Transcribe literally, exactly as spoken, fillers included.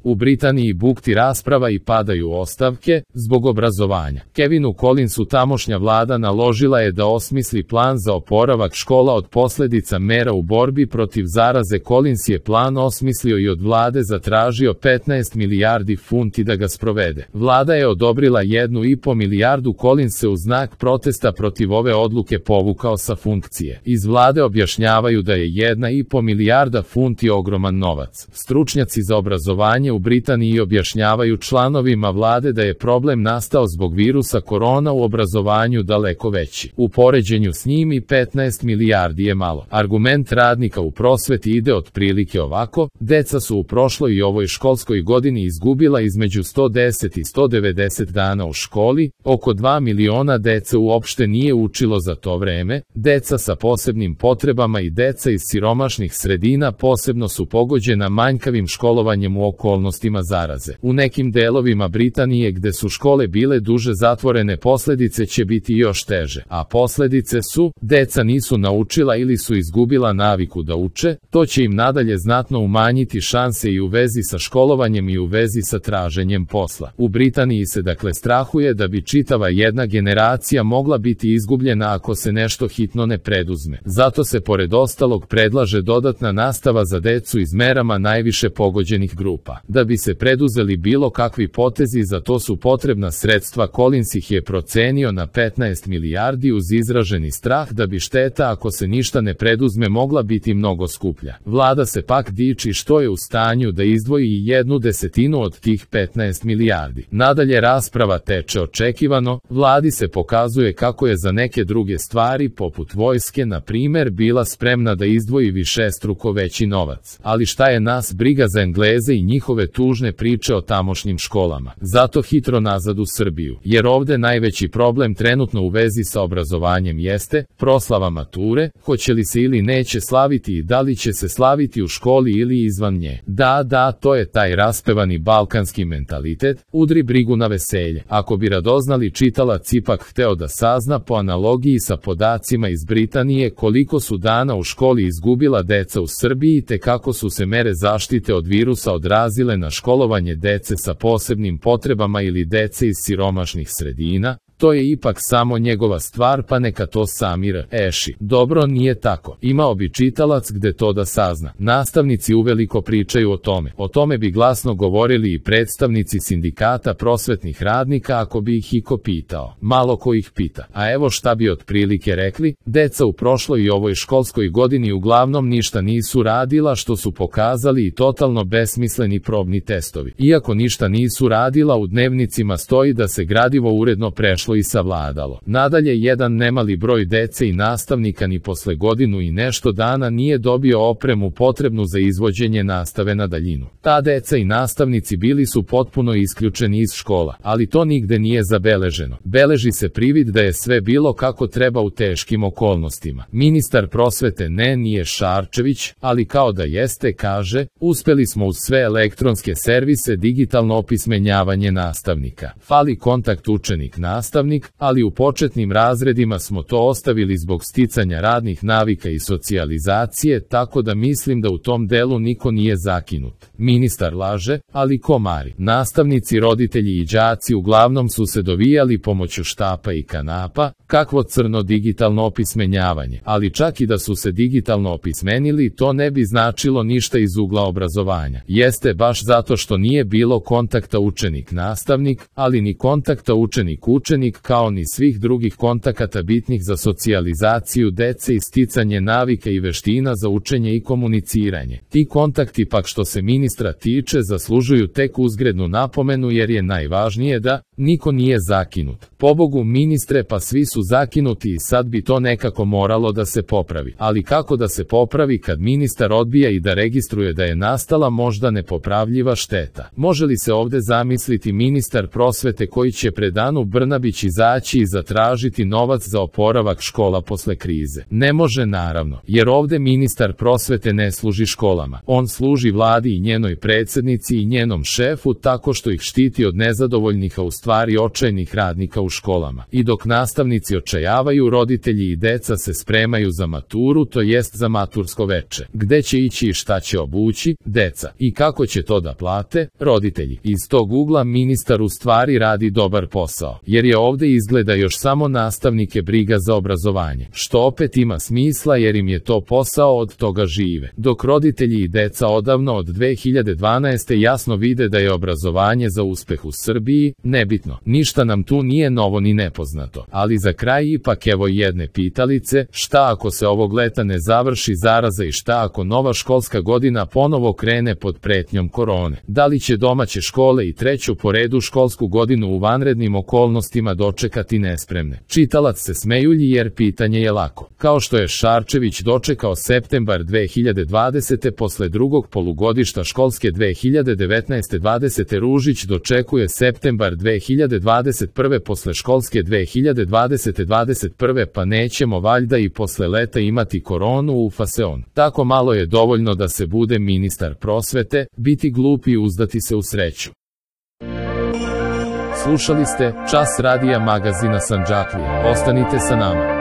U Britaniji bukti rasprava i padaju ostavke zbog obrazovanja. Kevinu Collinsu tamošnja vlada naložila je da osmisli plan za oporavak škola od posljedica mera u borbi protiv zaraze. Collins je plan osmislio i od vlade zatražio petnaest milijardi funti da ga sprovede. Vlada je odobrila jednu i po milijardu. Collins se u znak protesta protiv ove odluke povukao sa funkcije. Iz vlade objašnjavaju da je jedna i po milijarda funti ogroman novac. Stručnjaci za obrazovanje u Britaniji objašnjavaju članovima vlade da je problem nastao zbog virusa korona u obrazovanju daleko veći. U poređenju s njim i petnaest milijardi je malo. Argument radnika u prosveti ide otprilike ovako: deca su u prošloj i ovoj školskoj godini izgubila između sto deset i sto devedeset dana u školi, oko dva miliona dece uopšte nije učilo za to vreme, deca sa posebnim potrebama i deca iz siromašnih sredina posebno su pogođena manjkavim školovanjem u okolnostima zaraze. U nekim delovima Britanije gde su škole bile duže zatvorene posljedice će biti još teže, a posljedice su: deca nisu naučila ili su izgubila naviku da uče, to će im nadalje znatno umanjiti šanse i u vezi sa školovanjem i u vezi sa traženjem posla. U Britaniji se dakle strahuje da bi čitava jedna generacija mogla biti izgubljena ako se nešto hitno ne preduzme. Zato se pored ostalog predlaže dodatna nastava za decu iz merama najviše pogođenih grupa. Da bi se preduzeli bilo kakvi potezi, za to su potrebna sredstva. Collins ih je procenio na petnaest milijardi uz izraženi strah da bi šteta ako se ništa ne preduzme mogla biti mnogo skuplja. Vlada se pak diči što je u stanju da izdvoji i jednu desetinu od tih petnaest milijardi. Nadalje rasprava teče očekivano, vladi se pokazuje kako je za neke druge stvari poput vojske na primer bila spremna da izdvoji višestruko veći novac. Ali šta je nas briga za Engleze i njihove tužne priče o tamošnjim školama. Zato hitro nazad u Srbiju, jer ovde najveći problem trenutno u vezi sa obrazovanjem jeste proslava mature, hoće li se ili neće slaviti i da li će se slaviti u školi ili izvan nje. Da, da, to je taj raspevani balkanski mentalitet, udri brigu na veselje. Ako bi radoznali čitalac ipak hteo da sazna po analogiji sa podacima iz Britanije koliko su dana u školi izgubila deca u Srbiji te kako su se mere zaštite od virusa odrazile na školovanje dece sa posebnim potrebama ili dece iz siromašnih sredina, to je ipak samo njegova stvar, pa neka to sami reši. Dobro, nije tako. Imao bi čitalac gde to da sazna. Nastavnici uveliko pričaju o tome. O tome bi glasno govorili i predstavnici sindikata prosvetnih radnika ako bi ih iko pitao. Malo ko ih pita. A evo šta bi otprilike rekli: deca u prošloj i ovoj školskoj godini uglavnom ništa nisu radila, što su pokazali i totalno besmisleni probni testovi. Iako ništa nisu radila, u dnevnicima stoji da se gradivo uredno prešlo i savladalo. Nadalje, jedan nemali broj dece i nastavnika ni posle godinu i nešto dana nije dobio opremu potrebnu za izvođenje nastave na daljinu. Ta deca i nastavnici bili su potpuno isključeni iz škola, ali to nigde nije zabeleženo. Beleži se privid da je sve bilo kako treba u teškim okolnostima. Ministar prosvete ne nije Šarčević, ali kao da jeste, kaže: uspeli smo uz sve elektronske servise digitalno opismenjavanje nastavnika. Fali kontakt učenik-nastavnik, ali u početnim razredima smo to ostavili zbog sticanja radnih navika i socijalizacije, tako da mislim da u tom delu niko nije zakinut. Ministar laže, ali ko mari? Nastavnici, roditelji i đaci uglavnom su se dovijali pomoću štapa i kanapa, kakvo crno digitalno opismenjavanje, ali čak i da su se digitalno opismenili, to ne bi značilo ništa iz ugla obrazovanja. Jeste baš zato što nije bilo kontakta učenik-nastavnik, ali ni kontakta učenik-učenik, kao ni svih drugih kontakata bitnih za socijalizaciju dece i sticanje navika i veština za učenje i komuniciranje. Ti kontakti pak što se ministra tiče zaslužuju tek uzgrednu napomenu, jer je najvažnije da niko nije zakinut. Pobogu ministre, pa svi su zakinuti i sad bi to nekako moralo da se popravi. Ali kako da se popravi kad ministar odbija i da registruje da je nastala možda nepopravljiva šteta? Može li se ovde zamisliti ministar prosvete koji će pred Anu Brnabić već izaći i zatražiti novac za oporavak škola posle krize. Ne može naravno, jer ovde ministar prosvete ne služi školama. On služi vladi i njenoj predsjednici i njenom šefu tako što ih štiti od nezadovoljnih, a u stvari očajnih radnika u školama. I dok nastavnici očajavaju, roditelji i deca se spremaju za maturu, to jest za matursko veče. Gde će ići i šta će obući? Deca. I kako će to da plate? Roditelji. Iz tog ugla ministar u stvari radi dobar posao, jer je ovde izgleda još samo nastavnike briga za obrazovanje, što opet ima smisla jer im je to posao, od toga žive. Dok roditelji i deca odavno od dve hiljade dvanaeste. jasno vide da je obrazovanje za uspeh u Srbiji, nebitno. Ništa nam tu nije novo ni nepoznato. Ali za kraj ipak evo jedne pitalice, šta ako se ovog leta ne završi zaraza i šta ako nova školska godina ponovo krene pod pretnjom korone? Da li će domaće škole i treću po redu školsku godinu u vanrednim okolnostima dočekati nespremne? Čitalac se smejulji jer pitanje je lako. Kao što je Šarčević dočekao septembar dve hiljade dvadesete. posle drugog polugodišta školske dve hiljade devetnaeste dvadesete. Ružić dočekuje septembar dve hiljade dvadeset prve. posle školske dve hiljade dvadesete dvadeset prve. Pa nećemo valjda i posle leta imati koronu u faseon. Tako malo je dovoljno da se bude ministar prosvete, biti glup i uzdati se u sreću. Slušali ste Čas radija magazina Sandžaklija. Ostanite sa nama.